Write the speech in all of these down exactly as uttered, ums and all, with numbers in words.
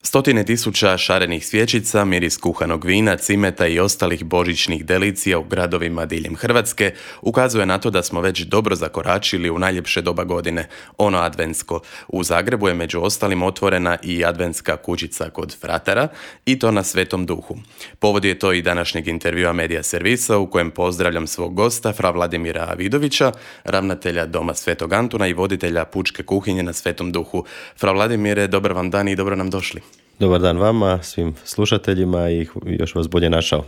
Stotine tisuća šarenih svjećica, miris kuhanog vina, cimeta i ostalih božićnih delicija u gradovima diljem Hrvatske ukazuje na to da smo već dobro zakoračili u najljepše doba godine, ono adventsko. U Zagrebu je među ostalim otvorena i adventska kućica kod Fratera i to na Svetom Duhu. Povod je to i današnjeg intervjua Medija servisa u kojem pozdravljam svog gosta, fra Vladimira Vidovića, ravnatelja Doma Svetog Antuna i voditelja pučke kuhinje na Svetom Duhu. Fra Vladimire, dobar vam dan i dobro nam došli. Dobar dan vama, svim slušateljima i još vas bolje našao.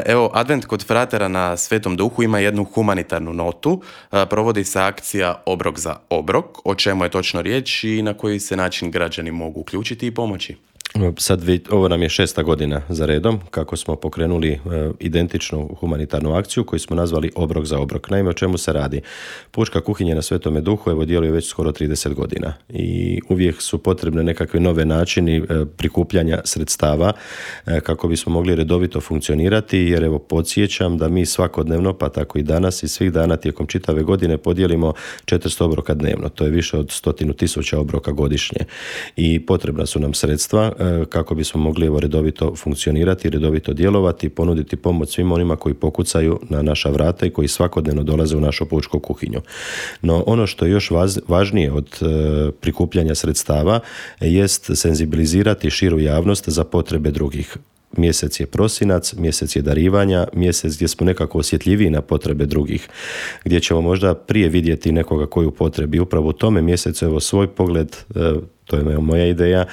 Evo, Advent kod Fratera na Svetom Duhu ima jednu humanitarnu notu. Provodi se akcija Obrok za obrok. O čemu je točno riječ i na koji se način građani mogu uključiti i pomoći? Sad, ovo nam je šesta godina za redom kako smo pokrenuli e, identičnu humanitarnu akciju koju smo nazvali Obrok za obrok. Naime, o čemu se radi? Pučka kuhinja na Svetome Duhu evo djeluje već skoro trideset godina i uvijek su potrebne nekakve nove načini e, prikupljanja sredstava e, kako bismo mogli redovito funkcionirati, jer evo podsjećam da mi svakodnevno, pa tako i danas i svih dana tijekom čitave godine podijelimo četiristo obroka dnevno. To je više od stotinu tisuća obroka godišnje i potrebna su nam sredstva kako bismo mogli evo redovito funkcionirati, redovito djelovati, ponuditi pomoć svim onima koji pokucaju na naša vrata i koji svakodnevno dolaze u našu pučku kuhinju. No ono što je još važnije od e, prikupljanja sredstava jest senzibilizirati širu javnost za potrebe drugih. Mjesec je prosinac, mjesec je darivanja, mjesec gdje smo nekako osjetljiviji na potrebe drugih, gdje ćemo možda prije vidjeti nekoga koji u potrebi. Upravo u tome mjesecu evo svoj pogled, e, to je moja ideja,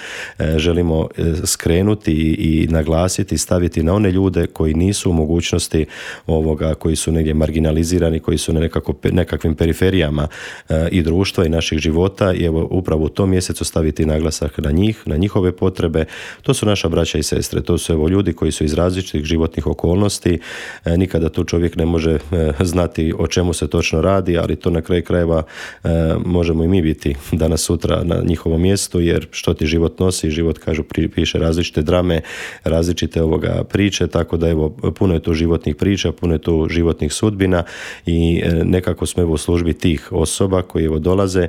želimo skrenuti i naglasiti, staviti na one ljude koji nisu u mogućnosti ovoga, koji su negdje marginalizirani, koji su na nekako, nekakvim periferijama i društva i naših života i evo upravo u tom mjesecu staviti naglasak na njih, na njihove potrebe. To su naša braća i sestre, to su evo ljudi koji su iz različitih životnih okolnosti, nikada tu čovjek ne može znati o čemu se točno radi, ali to na kraju krajeva možemo i mi biti danas sutra na njihovom mjestu, jer što ti život nosi, život kažu piše različite drame, različite ovoga priče, tako da evo puno je tu životnih priča, puno je tu životnih sudbina i nekako smo evo u službi tih osoba koji evo dolaze.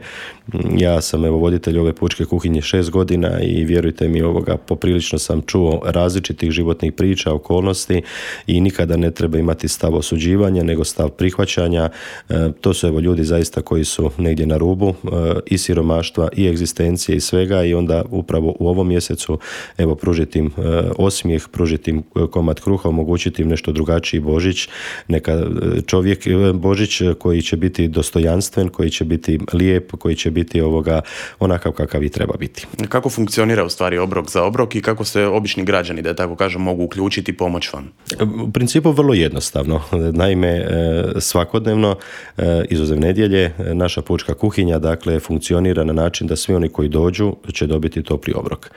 Ja sam evo voditelj ove pučke kuhinje šest godina i vjerujte mi ovoga poprilično sam čuo različitih životnih priča, okolnosti i nikada ne treba imati stav osuđivanja, nego stav prihvaćanja. E, to su evo ljudi zaista koji su negdje na rubu e, i siromaštva i egzistencije i svega i onda upravo u ovom mjesecu evo pružiti im e, osmijeh, pružiti im komad kruha, omogućiti im nešto drugačiji Božić, neka čovjek Božić koji će biti dostojanstven, koji će biti lijep, koji će biti ovoga onakav kakav i treba biti. Kako funkcionira u stvari Obrok za obrok i kako se obični građani, da tako kažem, mogu uključiti i pomoć vam? U principu vrlo jednostavno. Naime, svakodnevno, izuzev nedjelje, naša pučka kuhinja dakle funkcionira na način da svi oni koji dođu će dobiti topli obrok.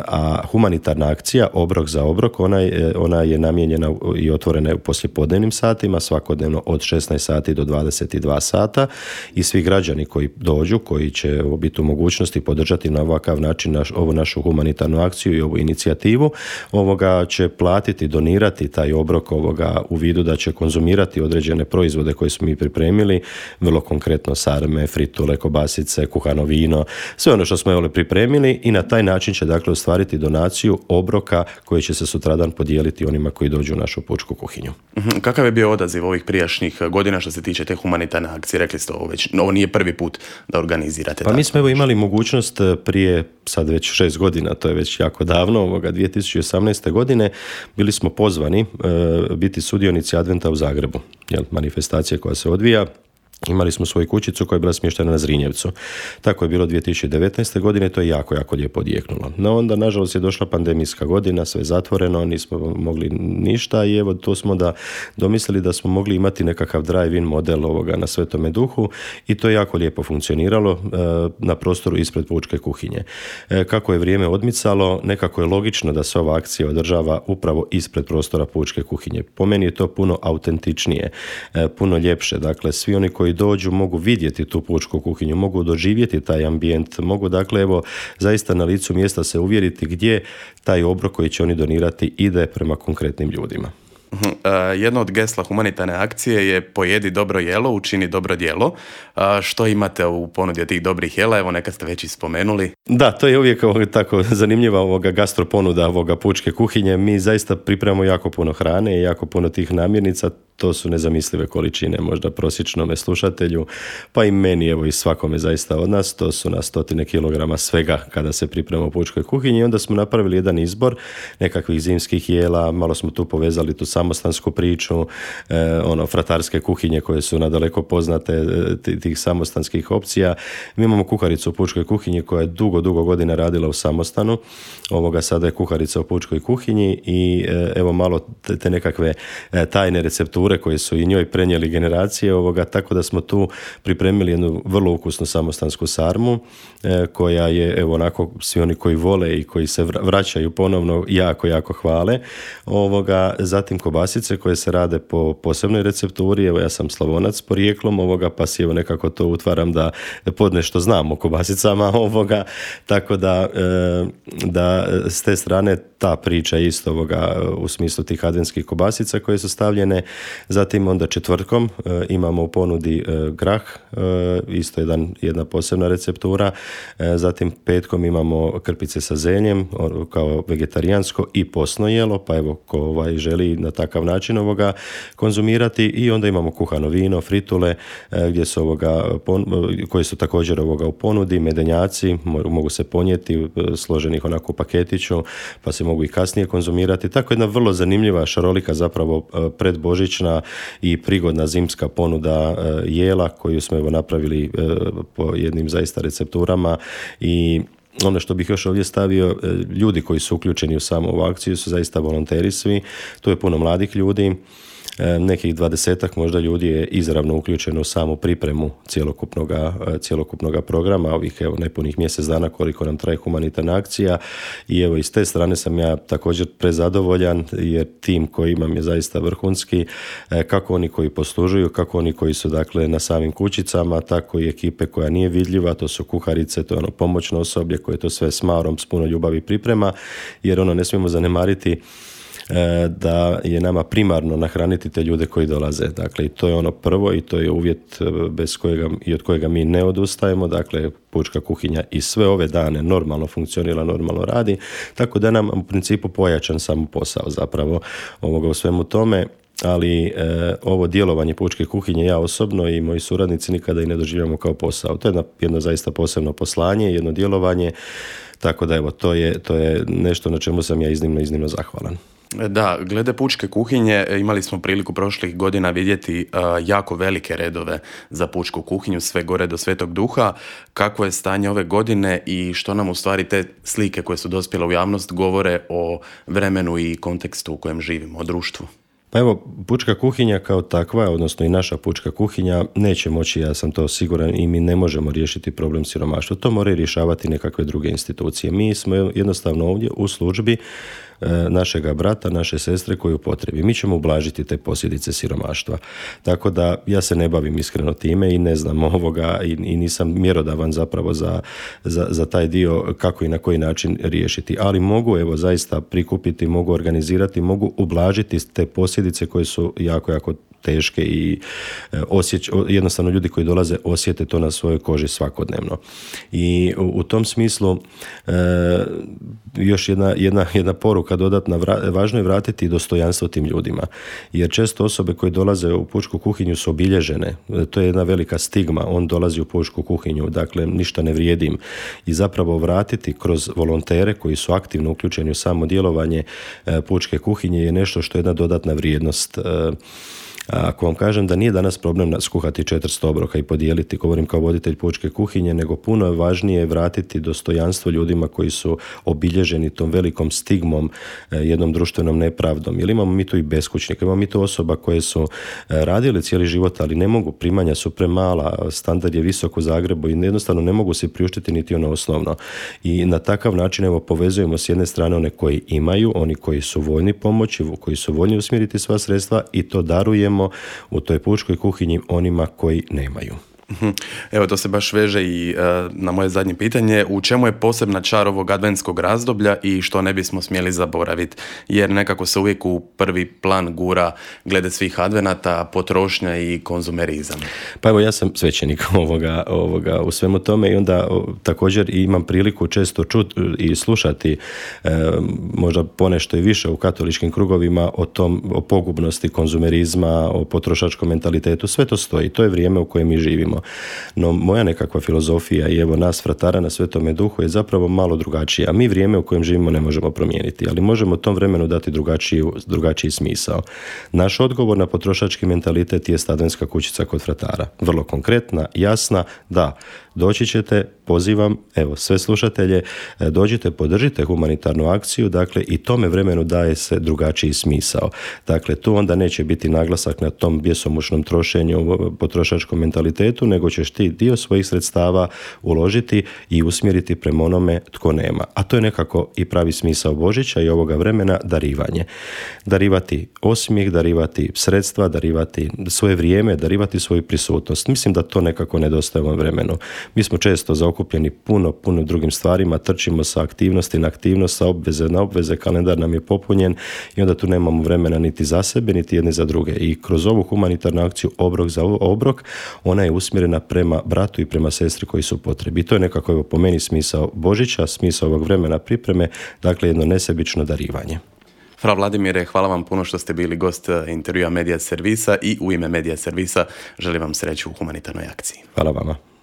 A humanitarna akcija Obrok za obrok, ona je, ona je namijenjena i otvorena u poslijepodnevnim satima, svakodnevno od šesnaest sati do dvadeset dva sata i svi građani koji dođu, koji će biti u mogućnosti podržati na ovakav način naš, ovu našu humanitarnu akciju i ovu inicijativu, ovoga će platiti, donirati taj obrok ovoga u vidu da će konzumirati određene proizvode koje smo mi pripremili, vrlo konkretno sarme, fritule, kobasice, kuhano vino, sve ono što smo evo pripremili i na taj način će dakle ostvariti donaciju obroka koji će se sutradan podijeliti onima koji dođu u našu pučku kuhinju. Kakav je bio odaziv ovih prijašnjih godina što se tiče te humanitarne akcije? Rekli ste ovo već, ovo nije prvi put da organizirate. Pa mi smo evo imali mogućnost prije sad već šest godina, to je već jako davno, ovoga dvije tisuće osamnaeste godine bili smo pozvani e, biti sudionici Adventa u Zagrebu, jel, manifestacija koja se odvija. Imali smo svoju kućicu koja je bila smještena na Zrinjevcu. Tako je bilo dvije tisuće devetnaeste godine, to je jako, jako lijepo odjeknulo. No onda, nažalost, je došla pandemijska godina, sve zatvoreno, nismo mogli ništa i evo to smo da domislili da smo mogli imati nekakav drive-in model ovoga na Svetome Duhu i to je jako lijepo funkcioniralo e, na prostoru ispred pučke kuhinje. E, kako je vrijeme odmicalo, nekako je logično da se ova akcija održava upravo ispred prostora pučke kuhinje. Po meni je to puno autentičnije, e, puno ljepše. Dakle, svi oni koji dođu mogu vidjeti tu pučku kuhinju, mogu doživjeti taj ambijent, mogu dakle evo zaista na licu mjesta se uvjeriti gdje taj obrok koji će oni donirati ide prema konkretnim ljudima. Jedno od gesla humanitarne akcije je pojedi dobro jelo, učini dobro djelo. Što imate u ponudi od tih dobrih jela? Evo, neka ste već i spomenuli. Da, to je uvijek ovoga, tako zanimljiva ovoga gastro ponuda ovoga pučke kuhinje. Mi zaista pripremamo jako puno hrane i jako puno tih namirnica. To su nezamislive količine, možda prosječnome slušatelju, pa i meni, evo i svakome zaista od nas. To su na stotine kilograma svega kada se priprema u pučkoj kuhinji. I onda smo napravili jedan izbor nekakvih zimskih jela, malo smo tu povezali tu samostansku priču, eh, ono, fratarske kuhinje koje su nadaleko poznate, t- tih samostanskih opcija. Mi imamo kuharicu u pučkoj kuhinji koja je dugo, dugo godina radila u samostanu. Ovoga sada je kuharica u pučkoj kuhinji i eh, evo malo te, te nekakve eh, tajne recepture koje su i njoj prenijeli generacije ovoga, tako da smo tu pripremili jednu vrlo ukusnu samostansku sarmu eh, koja je, evo onako, svi oni koji vole i koji se vraćaju ponovno jako, jako hvale. Ovoga, zatim kobasice koje se rade po posebnoj recepturi, evo ja sam Slavonac porijeklom ovoga, pa si evo nekako to utvaram da podnešto znam o kobasicama ovoga, tako da, eh, da s te strane ta priča isto ovoga u smislu tih adventskih kobasica koje su stavljene. Zatim onda četvrtkom e, imamo u ponudi e, grah, e, isto jedan, jedna posebna receptura. E, zatim petkom imamo krpice sa zeljem o, kao vegetarijansko i posno jelo, pa evo ko ovaj, želi na takav način ovoga konzumirati. I onda imamo kuhano vino, fritule, e, gdje su ovoga, pon, koji su također ovoga u ponudi, medenjaci, mogu se ponijeti, složenih onako u paketiću, pa se mogu i kasnije konzumirati. Tako jedna vrlo zanimljiva, šarolika zapravo predbožićna i prigodna zimska ponuda jela koju smo evo napravili po jednim zaista recepturama. I ono što bih još ovdje stavio, ljudi koji su uključeni u samu ovu akciju su zaista volonteri svi. Tu je puno mladih ljudi. Nekih dvadesetak možda ljudi je izravno uključeno u samu pripremu cjelokupnoga, cjelokupnoga programa, ovih evo nepunih mjesec dana koliko nam traje humanitarna akcija. I evo iz te strane sam ja također prezadovoljan jer tim koji imam je zaista vrhunski, kako oni koji poslužuju, kako oni koji su dakle na samim kućicama, tako i ekipe koja nije vidljiva, to su kuharice, to je ono pomoćno osoblje koje to sve s marom, s puno ljubavi priprema, jer ono ne smijemo zanemariti da je nama primarno nahraniti te ljude koji dolaze. Dakle, i to je ono prvo i to je uvjet bez kojega i od kojega mi ne odustajemo. Dakle, pučka kuhinja i sve ove dane normalno funkcionira, normalno radi, tako da nam u principu pojačan samo posao zapravo ovoga u svemu tome. Ali e, ovo djelovanje pučke kuhinje ja osobno i moji suradnici nikada i ne doživljamo kao posao. To je jedno, jedno zaista posebno poslanje, jedno djelovanje, tako da evo, to je, to je nešto na čemu sam ja iznimno, iznimno zahvalan. Da, glede pučke kuhinje imali smo priliku prošlih godina vidjeti uh, jako velike redove za pučku kuhinju, sve gore do Svetog Duha. Kakvo je stanje ove godine i što nam u stvari te slike koje su dospjele u javnost govore o vremenu i kontekstu u kojem živimo, o društvu? Pa evo, pučka kuhinja kao takva, odnosno i naša pučka kuhinja, neće moći, ja sam to siguran, i mi ne možemo riješiti problem siromaštva. To moraju rješavati nekakve druge institucije. Mi smo jednostavno ovdje u službi našega brata, naše sestre koju potrebi. Mi ćemo ublažiti te posljedice siromaštva. Tako da ja se ne bavim iskreno time i ne znam ovoga i, i nisam mjerodavan zapravo za, za, za taj dio kako i na koji način riješiti. Ali mogu evo zaista prikupiti, mogu organizirati, mogu ublažiti te posljedice koje su jako, jako teške i osjeć, jednostavno ljudi koji dolaze osjete to na svojoj koži svakodnevno. I u, u tom smislu e, još jedna, jedna, jedna poruka dodatna, vra, važno je vratiti dostojanstvo tim ljudima. Jer često osobe koje dolaze u pučku kuhinju su obilježene. To je jedna velika stigma. On dolazi u pučku kuhinju, dakle ništa ne vrijedim. I zapravo vratiti kroz volontere koji su aktivno uključeni u samo djelovanje e, pučke kuhinje je nešto što je jedna dodatna vrijednost. E, Ako vam kažem da nije danas problem skuhati četiristo obroka i podijeliti, govorim kao voditelj pučke kuhinje, nego puno je važnije vratiti dostojanstvo ljudima koji su obilježeni tom velikom stigmom, jednom društvenom nepravdom. Jer imamo mi tu i beskućnika, imamo mi tu osoba koje su radile cijeli život, ali ne mogu, primanja su premala, standard je visok u Zagrebu i jednostavno ne mogu se priuštiti niti ono osnovno. I na takav način evo povezujemo s jedne strane one koji imaju, oni koji su voljni pomoći, koji su voljni usmjeriti sva sredstva i to darujemo u toj pučkoj kuhinji onima koji nemaju. Evo, to se baš veže i uh, na moje zadnje pitanje. U čemu je posebna čar ovog adventskog razdoblja i što ne bismo smjeli zaboraviti? Jer nekako se uvijek u prvi plan gura glede svih advenata, potrošnja i konzumerizam. Pa evo, ja sam svećenik ovoga, ovoga u svemu tome i onda o, također imam priliku često čuti i slušati e, možda ponešto i više u katoličkim krugovima o tom, o pogubnosti konzumerizma, o potrošačkom mentalitetu. Sve to stoji. To je vrijeme u kojem mi živimo. No moja nekakva filozofija i evo nas fratara na Svetome Duhu je zapravo malo drugačija. Mi vrijeme u kojem živimo ne možemo promijeniti, ali možemo tom vremenu dati drugačiji, drugačiji smisao. Naš odgovor na potrošački mentalitet je adventska kućica kod fratara. Vrlo konkretna, jasna, da, doći ćete, pozivam, evo, sve slušatelje, dođite, podržite humanitarnu akciju, dakle, i tome vremenu daje se drugačiji smisao. Dakle, tu onda neće biti naglasak na tom bjesomučnom trošenju, potrošačkom mentalitetu, nego ćeš ti dio svojih sredstava uložiti i usmjeriti prema onome tko nema. A to je nekako i pravi smisao Božića i ovoga vremena, darivanje. Darivati osmijeh, darivati sredstva, darivati svoje vrijeme, darivati svoju prisutnost. Mislim da to nekako nedostaje u ovom vremenu. Mi smo često zaokupljeni puno, puno drugim stvarima, trčimo sa aktivnosti na aktivnost, sa obveze na obveze, kalendar nam je popunjen i onda tu nemamo vremena niti za sebe, niti jedne za druge. I kroz ovu humanitarnu akciju Obrok za obrok, ona je usmjerena prema bratu i prema sestri koji su potrebi. I to je nekako, evo, po meni smisao Božića, smisao ovog vremena pripreme, dakle jedno nesebično darivanje. Fra Vladimire, hvala vam puno što ste bili gost intervjua Medija Servisa i u ime Medija Servisa želim vam sreću u humanitarnoj akciji. Hvala vama.